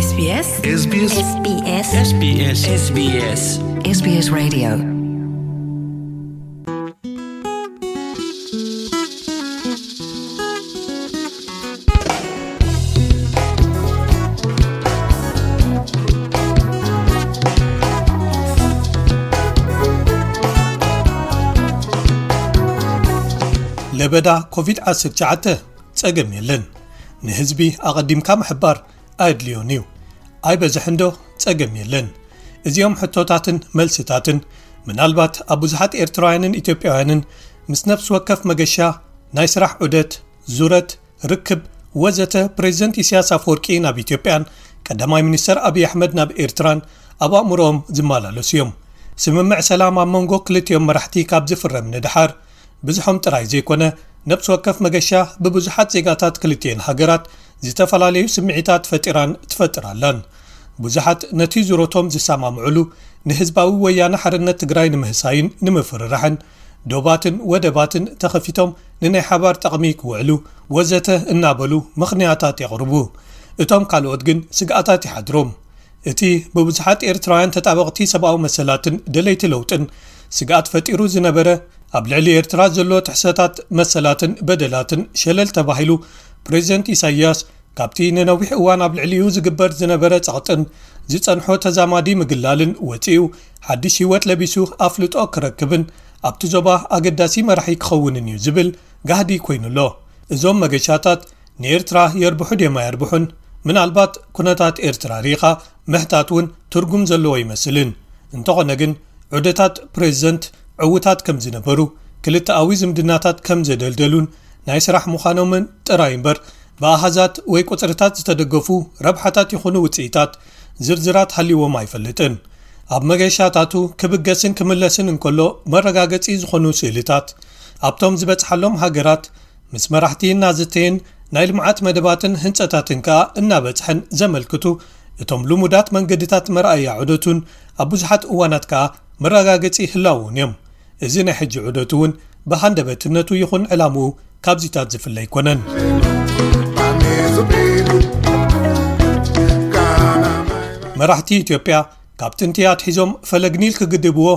SBS SBS SBS SBS SBS SBS Radio. ለበዳ ኮቪድ ዓሰርተ ትሽዓተ ጸገም የለን። ንህዝቢ ኣቐዲምካ ምሕባር ኣየድልዮን እዩ። ኣይበዝሕንዶ? ጸገም የለን። እዚኦም ሕቶታትን መልስታትን ምናልባት ኣብ ብዙሓት ኤርትራውያንን ኢትዮጵያውያንን ምስ ነፍሲ ወከፍ መገሻ፣ ናይ ስራሕ ዑደት፣ ዙረት፣ ርክብ ወዘተ ፕሬዚደንት ኢሳያስ ኣፈወርቂ ናብ ኢትዮጵያን ቀዳማይ ሚኒስተር ኣብይ ኣሕመድ ናብ ኤርትራን ኣብ ኣእምሮኦም ዝመላለሱ እዮም። ስምምዕ ሰላም ኣብ መንጎ ክልቲኦም መራሕቲ ካብ ዝፍረም ንድሓር፣ ብዝሖም ጥራይ ዘይኮነ፣ ነብሲ ወከፍ መገሻ ብብዙሓት ዜጋታት ክልቲኤን ሃገራት ዝተፈላለዩ ስምዒታት ፈጢራን ትፈጥር ኣላን። ብዙሓት ነቲ ዙረቶም ዝሰማምዕሉ ንህዝባዊ ወያነ ሓርነት ትግራይ ንምህሳይን ንምፍርራሕን፣ ዶባትን ወደባትን ተኸፊቶም ንናይ ሓባር ጠቕሚ ክውዕሉ ወዘተ እናበሉ ምኽንያታት የቕርቡ። እቶም ካልኦት ግን ስግኣታት ይሓድሮም። እቲ ብብዙሓት ኤርትራውያን ተጣበቕቲ ሰብኣዊ መሰላትን ደለይቲ ለውጥን ስግኣት ፈጢሩ ዝነበረ፣ ኣብ ልዕሊ ኤርትራ ዘሎ ጥሕሰታት መሰላትን በደላትን ሸለል ተባሂሉ፣ ፕሬዚደንት ኢሳይያስ ካብቲ ንነዊሕ እዋን ኣብ ልዕሊኡ ዝግበር ዝነበረ ጸቕጥን ዝጸንሖ ተዛማዲ ምግላልን ወጺኡ፣ ሓድሽ ህይወት ለቢሱ ኣፍልጦ ክረክብን ኣብቲ ዞባ ኣገዳሲ መራሒ ክኸውንን እዩ ዝብል ጋህዲ ኮይኑ ኣሎ። እዞም መገሻታት ንኤርትራ የርብሑ ድዮም ኣየርብሑን? ምናልባት ኩነታት ኤርትራ ርኢኻ ምሕታት እውን ትርጉም ዘለዎ ኣይመስልን። እንተኾነ ግን፣ ዑደታት ፕሬዚደንት ዕዉታት ከም ዝነበሩ፣ ክልተኣዊ ዝምድናታት ከም ዘደልደሉን ናይ ስራሕ ምዃኖምን ጥራይ እምበር፣ ብኣሃዛት ወይ ቁጽርታት ዝተደገፉ ረብሓታት ይኹኑ ውጽኢታት ዝርዝራት ሃልይዎም ኣይፈልጥን። ኣብ መገሻታቱ ክብገስን ክምለስን እንከሎ መረጋገጺ ዝኾኑ ስእልታት፣ ኣብቶም ዝበጽሓሎም ሃገራት ምስ መራሕቲ እናዘተየን ናይ ልምዓት መደባትን ህንጸታትን ከኣ እናበጽሐን ዘመልክቱ እቶም ልሙዳት መንገድታት መርኣያ ዑደቱን ኣብ ብዙሓት እዋናት ከኣ መረጋገጺ ህላወኡን እዮም። እዚ ናይ ሕጂ ዑደቱ እውን ብሃንደበትነቱ ይኹን ዕላምኡ ካብዚታት ዝፍለ ኣይኮነን። መራሕቲ ኢትዮጵያ ካብ ጥንቲ ኣትሒዞም ፈለግ ኒል ክግድብዎ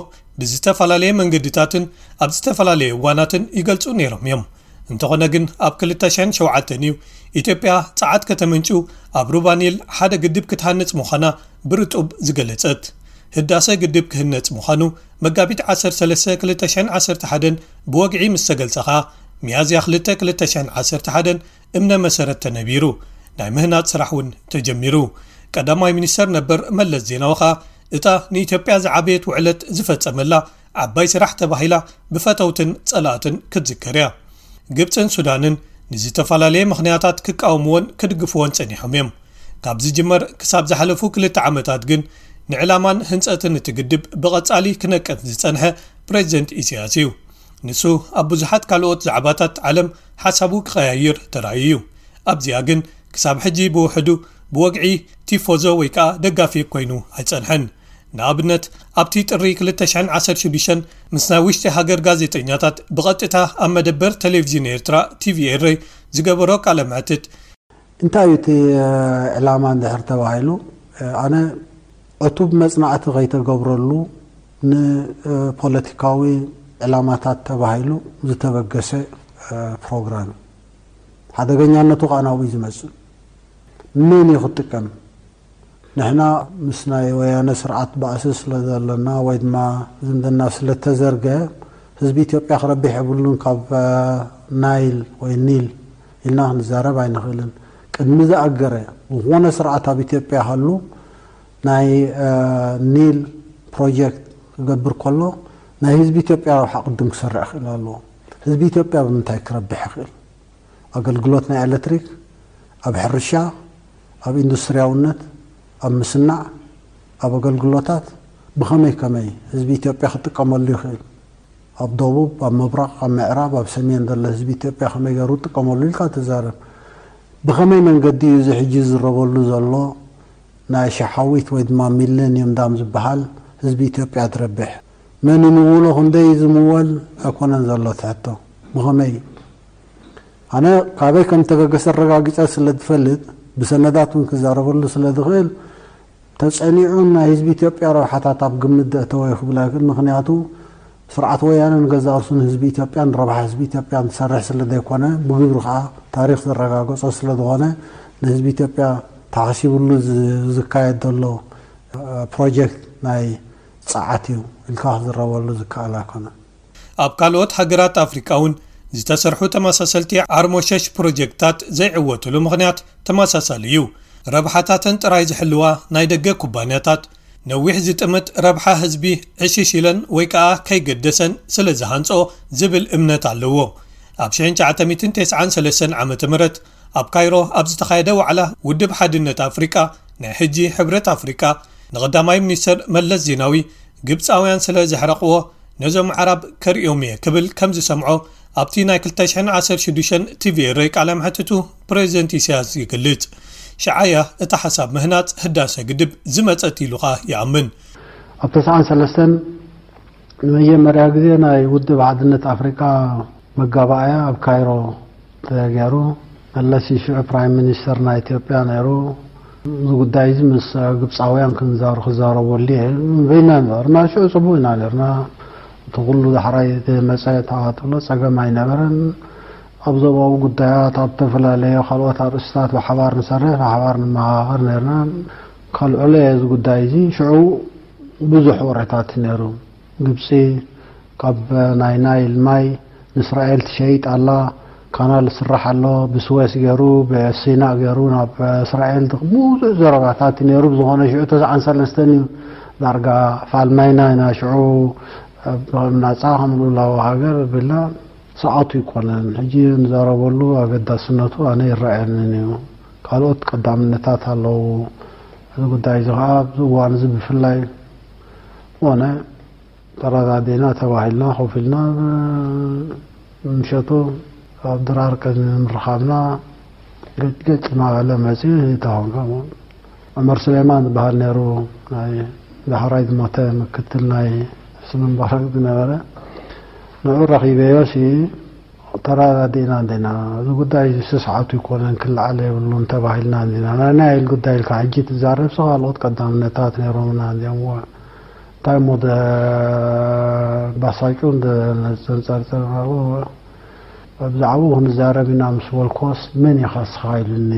ብዝተፈላለየ መንገድታትን ኣብ ዝተፈላለየ እዋናትን ይገልጹ ነይሮም እዮም። እንተኾነ ግን ኣብ ክልተ ሽሕን ሸውዓተን እዩ ኢትዮጵያ ጸዓት ከተመንጩ ኣብ ሩባ ኒል ሓደ ግድብ ክትሃንጽ ምዃና ብርጡብ ዝገለጸት። ህዳሰ ግድብ ክህነጽ ምዃኑ መጋቢት ዓሰርተ ሰለስተ ክልተ ሽሕን ዓሰርተ ሓደን ብወግዒ ምስ ተገልጸ ኸኣ፣ ሚያዝያ ክልተ ክልተ ሽሕን ዓሰርተ ሓደን እምነ መሰረት ተነቢሩ፣ ናይ ምህናጽ ስራሕ እውን ተጀሚሩ። ቀዳማይ ሚኒስተር ነበር መለስ ዜናዊ ኸኣ፣ እታ ንኢትዮጵያ ዝዓበየት ውዕለት ዝፈጸመላ ዓባይ ስራሕ ተባሂላ ብፈተውትን ጸላእትን ክትዝከር እያ። ግብጽን ሱዳንን ንዝተፈላለየ ምኽንያታት ክቃወምዎን ክድግፍዎን ጸኒሖም እዮም። ካብ ዝጅመር ክሳብ ዝሓለፉ ክልተ ዓመታት ግን ንዕላማን ህንጸትን እቲ ግድብ ብቐጻሊ ክነቅፍ ዝጸንሐ ፕሬዚደንት ኢሳያስ እዩ። ንሱ ኣብ ብዙሓት ካልኦት ዛዕባታት ዓለም ሓሳቡ ክቐያይር ተራእዩ እዩ። ኣብዚኣ ግን ክሳብ ሕጂ ብውሕዱ ብወግዒ ቲፎዞ ወይ ከኣ ደጋፊ ኮይኑ ኣይጸንሐን። ንኣብነት ኣብቲ ጥሪ ክልተ ሽሕን ዓሰርተ ሽዱሽተን ምስ ናይ ውሽጢ ሃገር ጋዜጠኛታት ብቐጥታ ኣብ መደበር ቴሌቪዥን ኤርትራ ቲቪ ኤረይ ዝገበሮ ቃለ መሕትት፣ እንታይ እዩ እቲ ዕላማ እንድሕር ተባሂሉ፣ ኣነ ዕቱብ መጽናዕቲ ከይተገብረሉ ንፖለቲካዊ ዕላማታት ተባሂሉ ዝተበገሰ ፕሮግራም እዩ። ሓደገኛነቱ ከዓ ናብኡ እዩ ዝመጽእ። መን እዩ ክጥቀም? ንሕና ምስ ናይ ወያነ ስርዓት ባእሲ ስለ ዘለና ወይ ድማ ዝምድና ስለ ተዘርገ ህዝቢ ኢትዮጵያ ክረብሕ የብሉን፣ ካብ ናይል ወይ ኒል ኢልና ክንዛረብ ኣይንኽእልን። ቅድሚ ዝኣገረ ዝኾነ ስርዓት ኣብ ኢትዮጵያ ሃሉ ናይ ኒል ፕሮጀክት ክገብር ከሎ ናይ ህዝቢ ኢትዮጵያ ረብሓ ቅድም ክሰርዕ ክእል ኣለዎ። ህዝቢ ኢትዮጵያ ብምንታይ ክረብሕ ይኽእል? ኣገልግሎት ናይ ኤሌክትሪክ፣ ኣብ ሕርሻ፣ ኣብ ኢንዱስትሪያውነት፣ ኣብ ምስናዕ፣ ኣብ ኣገልግሎታት ብኸመይ ከመይ ህዝቢ ኢትዮጵያ ክጥቀመሉ ይኽእል? ኣብ ደቡብ፣ ኣብ ምብራቕ፣ ኣብ ምዕራብ፣ ኣብ ሰሜን ዘሎ ህዝቢ ኢትዮጵያ ከመይ ገይሩ ክጥቀመሉ ኢልካ ትዛረብ። ብኸመይ መንገዲ እዩ እዚ ሕጂ ዝዝረበሉ ዘሎ ናይ ሸሓዊት ወይ ድማ ሚሌንየም ዳም ዝበሃል ህዝቢ ኢትዮጵያ ትረብሕ? መን ይምውሎ? ክንደይ እዩ ዝምወል? ኣይኮነን ዘሎ እቲ ሕቶ። ብኸመይ? ኣነ ካበይ ከም ተበገሰ ኣረጋጊጸ ስለ ዝፈልጥ፣ ብሰነዳት እውን ክዛረበሉ ስለ ዝኽእል፣ ተጸኒዑ ናይ ህዝቢ ኢትዮጵያ ረብሓታት ኣብ ግምት ዘእተወ እዩ ክብል ኣይክእል። ምኽንያቱ፣ ስርዓት ወያነ ንገዛእ ርእሱ ንህዝቢ ኢትዮጵያን ረብሓ ህዝቢ ኢትዮጵያን ዝሰርሕ ስለ ዘይኮነ፣ ብግብሪ ከዓ ታሪኽ ዘረጋገጾ ስለ ዝኾነ፣ ንህዝቢ ኢትዮጵያ ተሓሲብሉ ዝ- ዝካየድ ዘሎ ፕሮጀክት ናይ ጸዓት እዩ ኢልካ ክዝረበሉ ዝከኣል ኣይኮነን። ኣብ ካልኦት ሃገራት ኣፍሪቃ እውን ዝተሰርሑ ተመሳሰልቲ ዓርሞሸሽ ፕሮጀክትታት ዘይዕወትሉ ምኽንያት ተመሳሳሊ እዩ። ረብሓታተን ጥራይ ዝሕልዋ ናይ ደገ ኩባንያታት፣ ነዊሕ ዝጥምት ረብሓ ህዝቢ ዕሽሽ ኢለን ወይ ከኣ ከይገደሰን ስለ ዝሃንጾ ዝብል እምነት ኣለዎ። ኣብ ሽሕን ትሽዓተ ሚእትን ተስዓን ሰለስተን ዓመተ ምህረት ኣብ ካይሮ ኣብ ዝተኻየደ ዋዕላ ውድብ ሓድነት ኣፍሪቃ፣ ናይ ሕጂ ሕብረት ኣፍሪቃ፣ ንቐዳማይ ሚኒስተር መለስ ዜናዊ፣ ግብጻውያን ስለ ዘሕረቕዎ ነዞም ኣዕራብ ከርእዮም እየ ክብል ከም ዝሰምዖ ኣብቲ ናይ ክልተ ሽሕን ዓሰርተ ሽዱሽተን ቲቪ ኤረይ ቃለ መሕትቱ ፕሬዚደንት ኢሳያስ ይገልጽ። ሽዓያ እታ ሓሳብ ምህናጽ ህዳሰ ግድብ ዝመጸት ኢሉ ኸኣ ይኣምን። ኣብ ተስዓን ሰለስተን ንመጀመርያ ግዜ ናይ ውድብ ሓድነት ኣፍሪቃ መጋባእያ ኣብ ካይሮ ተገይሩ። መለስ እዩ ሽዑ ፕራይም ሚኒስተር ናይ ኢትዮጵያ ነይሩ። እዚ ጉዳይ እዚ ምስ ግብፃውያን ክንዛሩ ክዛረበሉ እየ በይና ነበርና። ሽዑ ፅቡቅ ኢና ነርና። እቲ ኩሉ ዳሕራይ መፀ ተባትሎ ፀገም ኣይነበረን። ኣብ ዞባዊ ጉዳያት፣ ኣብ ተፈላለየ ካልኦት ኣርእስታት ብሓባር ንሰርሕ፣ ብሓባር ንመኻኸር ነርና። ካልዕሎ እዚ ጉዳይ እዚ ሽዑ ብዙሕ ወረታት ነይሩ። ግብፂ ካብ ናይ ናይል ማይ ንእስራኤል ትሸይጥ ኣላ። ካናል ስራሕ ኣሎ፣ ብስዌስ ገይሩ ብሲና ገይሩ ናብ እስራኤል ብዙሕ ዘረባታት ነይሩ። ብዝኾነ ሽዑ ተስዓን ሰለስተን እዩ ዳርጋ ፋልማይና ኢና ሽዑ ናፃ ከም ልኡላዊ ሃገር ብላ ሰዓቱ ይኮነን። ሕጂ ንዛረበሉ ኣገዳስነቱ ኣነ ይረኣየንን እዩ። ካልኦት ቀዳምነታት ኣለዉ። እዚ ጉዳይ እዚ ከዓ ኣብዚ እዋን እዚ ብፍላይ ኮነ ተረዳዲእና ተባሂልና ኮፍ ኢልና ምሸቱ ኣብ ድራር ቅድሚ ምርኻብና ገጭ ገጭ እናበለ መፂኡ። ተኾንካ ዑመር ሱሌማን ዝበሃል ነይሩ፣ ናይ ዳሕራይ ዝሞተ ምክትል ናይ ሕስኒ ሙባረክ ዝነበረ። ንዑ ረኺበዮ ሲ ተረዳዲእና እንዲና፣ እዚ ጉዳይ እዚ ስስዓቱ ይኮነን ክለዓል የብሉን ተባሂልና እንዲና። ናይ ናይል ጉዳይ ኢልካ ሕጂ ትዛረብ ሲ ካልኦት ቀዳምነታት ነይሮምና እንዲኦም። እንታይ እሞ ባሳጩ ዘንፀርፅር ብዛዕባኡ ክንዛረብ ኢና ምስ በልኮስ መን ኢኻ ስኻ ኢሉኒ።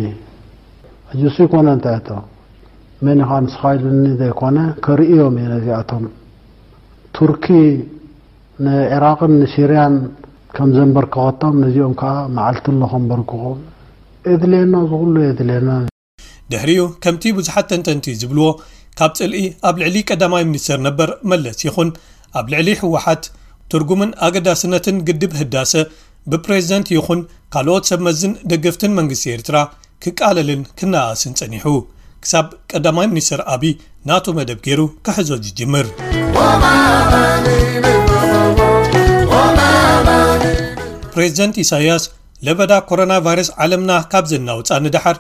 ሕጂ እሱ ይኮነ እንታይ እቶ መን ኢኻ ንስኻ ኢሉኒ ዘይኮነ ከርእዮም እየ ነዚኣቶም። ቱርኪ ንዒራቕን ንሲርያን ከም ዘንበርከኸቶም ነዚኦም ከዓ መዓልቲ ኣሎ ከንበርክኾም። የድልየና፣ ዝኹሉ የድልየና። ድሕሪኡ ከምቲ ብዙሓት ተንተንቲ ዝብልዎ ካብ ጽልኢ ኣብ ልዕሊ ቀዳማይ ሚኒስተር ነበር መለስ ይኹን ኣብ ልዕሊ ህወሓት ትርጉምን ኣገዳስነትን ግድብ ህዳሰ ብፕሬዝደንት ይኹን ካልኦት ሰብ መዝን ደገፍትን መንግስቲ ኤርትራ ክቃለልን ክነኣስን ጸኒሑ፣ ክሳብ ቀዳማይ ሚኒስተር ኣብይ ናቱ መደብ ገይሩ ክሕዞ ዝጅምር። ፕሬዝደንት ኢሳያስ ለበዳ ኮሮና ቫይረስ ዓለምና ካብ ዘናውጻ ንደሓር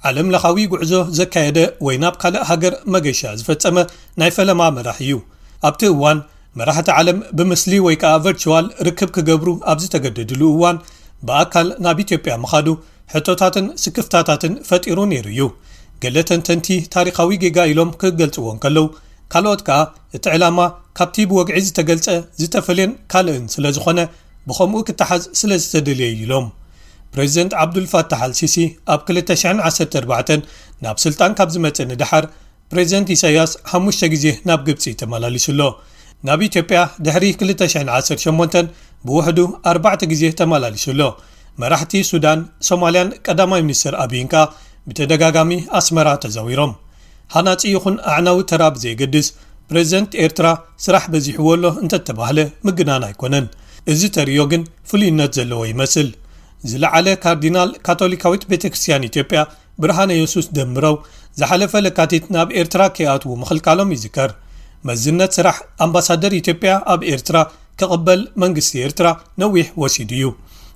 ዓለም ለኻዊ ጉዕዞ ዘካየደ ወይ ናብ ካልእ ሃገር መገሻ ዝፈጸመ ናይ ፈለማ መራሒ እዩ። ኣብቲ እዋን መራሕቲ ዓለም ብምስሊ ወይ ከኣ ቨርቹዋል ርክብ ክገብሩ ኣብ ዝተገደድሉ እዋን ብኣካል ናብ ኢትዮጵያ ምኻዱ ሕቶታትን ስክፍታታትን ፈጢሩ ነይሩ እዩ። ገለ ተንተንቲ ታሪኻዊ ጌጋ ኢሎም ክገልጽዎ እንከለዉ፣ ካልኦት ከኣ እቲ ዕላማ ካብቲ ብወግዒ ዝተገልጸ ዝተፈልየን ካልእን ስለ ዝኾነ ብኸምኡ ክተሓዝ ስለ ዝተደልየ እዩ ኢሎም። ፕሬዚደንት ዓብዱልፋታሕ ኣልሲሲ ኣብ ክልተ ሽሕን ዓሰርተ ኣርባዕተን ናብ ስልጣን ካብ ዝመጽእ ንደሓር ፕሬዚደንት ኢሳያስ ሓሙሽተ ግዜ ናብ ግብጺ ተመላሊሱ ኣሎ። ናብ ኢትዮጵያ ድሕሪ ክልተ ሽሕን ዓሰርተ ሸሞንተን ብውሕዱ ኣርባዕተ ግዜ ተመላሊሱ ኣሎ። መራሕቲ ሱዳን፣ ሶማልያን ቀዳማይ ሚኒስትር ኣብይን ከኣ ብተደጋጋሚ ኣስመራ ተዛዊሮም። ሃናጺ ይኹን ኣዕናዊ ተራ ብዘየገድስ፣ ፕሬዚደንት ኤርትራ ስራሕ በዚሕዎ ኣሎ እንተተባህለ ምግናን ኣይኮነን። እዚ ተርእዮ ግን ፍሉይነት ዘለዎ ይመስል። ዝለዓለ ካርዲናል ካቶሊካዊት ቤተክርስትያን ኢትዮጵያ ብርሃነ የሱስ ደምረው ዝሓለፈ ለካቲት ናብ ኤርትራ ከይኣትዉ ምኽልካሎም ይዝከር። መዝነት ስራሕ ኣምባሳደር ኢትዮጵያ ኣብ ኤርትራ ክቕበል መንግስቲ ኤርትራ ነዊሕ ወሲዱ እዩ።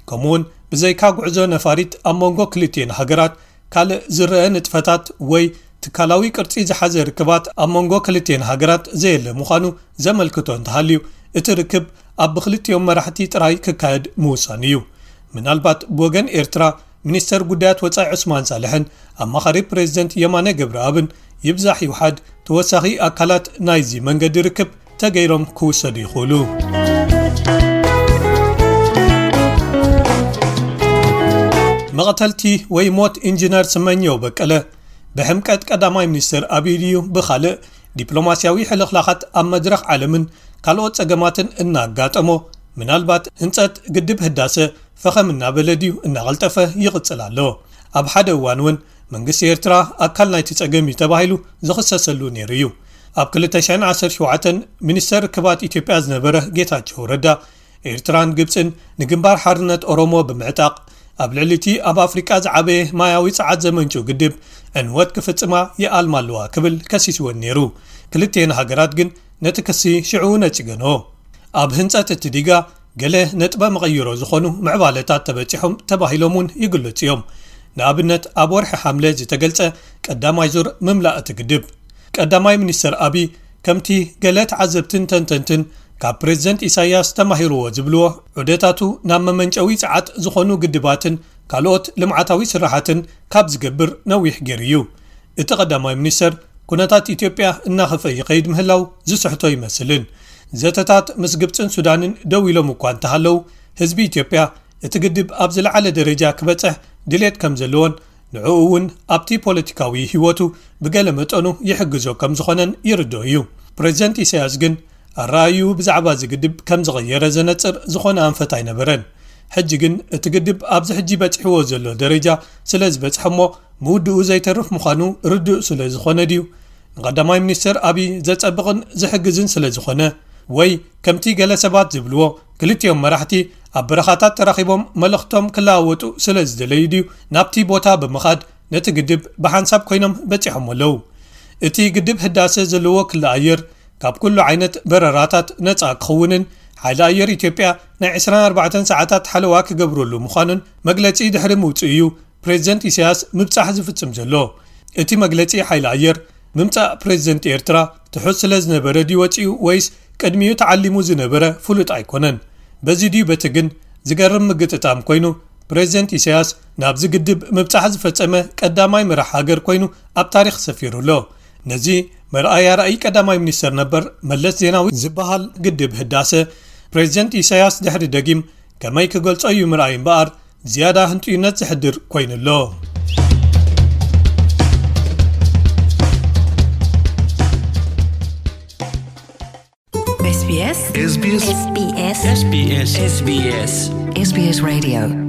ከምኡውን ብዘይካ ጉዕዞ ነፋሪት ኣብ መንጎ ክልቲኤን ሃገራት ካልእ ዝረአ ንጥፈታት ወይ ትካላዊ ቅርጺ ዝሓዘ ርክባት ኣብ መንጎ ክልቲኤን ሃገራት ዘየለ ምዃኑ ዘመልክቶ እንተሃልዩ፣ እቲ ርክብ ኣብ ብክልቲኦም መራሕቲ ጥራይ ክካየድ ምውሳኑ እዩ። ምናልባት ብወገን ኤርትራ ሚኒስተር ጉዳያት ወጻኢ ዑስማን ሳልሕን ኣማኻሪ ፕሬዚደንት የማነ ገብረኣብን ይብዛሕ ይውሓድ ተወሳኺ ኣካላት ናይዚ መንገዲ ርክብ ተገይሮም ክውሰዱ ይኽእሉ። መቐተልቲ ወይ ሞት ኢንጂነር ስመኘው በቀለ ብሕምቀት ቀዳማይ ሚኒስትር ኣብይ ድዩ ብኻልእ ዲፕሎማስያዊ ሕልኽላኻት ኣብ መድረኽ ዓለምን ካልኦት ጸገማትን እናጋጠሞ፣ ምናልባት ህንጸት ግድብ ህዳሰ ፈኸም እናበለ ድዩ እናቐልጠፈ ይቕጽል ኣሎ? ኣብ ሓደ እዋን እውን መንግስቲ ኤርትራ ኣካል ናይቲ ጸገም እዩ ተባሂሉ ዝኽሰሰሉ ነይሩ እዩ። ኣብ ክልተ ሽሕን ዓሰርተ ሸውዓተን ሚኒስተር ርክባት ኢትዮጵያ ዝነበረ ጌታቸው ረዳ፣ ኤርትራን ግብጽን ንግንባር ሓርነት ኦሮሞ ብምዕጣቕ ኣብ ልዕሊ እቲ ኣብ ኣፍሪቃ ዝዓበየ ማያዊ ጸዓት ዘመንጩ ግድብ ዕንወት ክፍጽማ ይኣልማ ኣለዋ ክብል ከሲስወን ነይሩ። ክልቲኤን ሃገራት ግን ነቲ ክሲ ሽዑ ነጺገንኦ። ኣብ ህንጸት እቲ ዲጋ ገለ ነጥበ መቐይሮ ዝኾኑ ምዕባለታት ተበጺሖም ተባሂሎም እውን ይግለጹ እዮም። ንኣብነት ኣብ ወርሒ ሓምለ ዝተገልጸ ቀዳማይ ዙር ምምላእ እቲ ግድብ። ቀዳማይ ሚኒስተር ኣቢ ከምቲ ገለ ተዓዘብትን ተንተንትን ካብ ፕሬዚደንት ኢሳያስ ተማሂርዎ ዝብልዎ ዑደታቱ ናብ መመንጨዊ ጸዓት ዝኾኑ ግድባትን ካልኦት ልምዓታዊ ስራሓትን ካብ ዝገብር ነዊሕ ገይሩ እዩ። እቲ ቀዳማይ ሚኒስተር ኩነታት ኢትዮጵያ እናኸፍአ ይኸይድ ምህላው ዝስሕቶ ይመስልን። ዘተታት ምስ ግብጽን ሱዳንን ደው ኢሎም እኳ እንተሃለዉ፣ ህዝቢ ኢትዮጵያ እቲ ግድብ ኣብ ዝለዓለ ደረጃ ክበጽሕ ድሌት ከም ዘለዎን ንዕኡ እውን ኣብቲ ፖለቲካዊ ህይወቱ ብገለ መጠኑ ይሕግዞ ከም ዝኾነን ይርድኦ እዩ። ፕሬዚደንት ኢሳያስ ግን ኣረኣእይኡ ብዛዕባ እዚ ግድብ ከም ዝቐየረ ዘነጽር ዝኾነ ኣንፈት ኣይነበረን። ሕጂ ግን እቲ ግድብ ኣብዚ ሕጂ በጺሕዎ ዘሎ ደረጃ ስለ ዝበጽሐ እሞ ምውድኡ ዘይተርፍ ምዃኑ ርዱእ ስለ ዝኾነ ድዩ? ንቐዳማይ ሚኒስተር ኣቢ ዘጸብቕን ዝሕግዝን ስለ ዝኾነ፣ ወይ ከምቲ ገለ ሰባት ዝብልዎ ክልቲኦም መራሕቲ ኣብ በረኻታት ተራኺቦም መልእኽቶም ክለዋወጡ ስለ ዝደለዩ ድዩ ናብቲ ቦታ ብምኻድ ነቲ ግድብ ብሓንሳብ ኮይኖም በጺሖም ኣለዉ? እቲ ግድብ ህዳሰ ዘለዎ ክሊ ኣየር ካብ ኩሉ ዓይነት በረራታት ነጻ ክኽውንን ሓይሊ ኣየር ኢትዮጵያ ናይ ዕስራን ኣርባዕተን ሰዓታት ሓለዋ ክገብረሉ ምዃኑን መግለጺ ድሕሪ ምውጽኡ እዩ ፕሬዚደንት ኢሳያስ ምብጻሕ ዝፍጽም ዘሎ። እቲ መግለጺ ሓይሊ ኣየር ምምጻእ ፕሬዚደንት ኤርትራ ትሑት ስለ ዝነበረ ድዩ ወጺኡ ወይስ ቅድሚኡ ተዓሊሙ ዝነበረ ፍሉጥ ኣይኮነን። በዚ ድዩ በቲ ግን ዝገርም ምግጥጣም ኮይኑ ፕሬዚደንት ኢሳያስ ናብዚ ግድብ ምብጻሕ ዝፈጸመ ቀዳማይ መራሕ ሃገር ኮይኑ ኣብ ታሪኽ ሰፊሩ ኣሎ። ነዚ መርኣያ ራእይ ቀዳማይ ሚኒስተር ነበር መለስ ዜናዊ ዝበሃል ግድብ ህዳሰ ፕሬዚደንት ኢሳያስ ድሕሪ ደጊም ከመይ ክገልጾ እዩ ምርኣይ እምበኣር ዝያዳ ህንጥዩነት ዘሕድር ኮይኑ ኣሎ። SBS SBS SBS SBS SBS Radio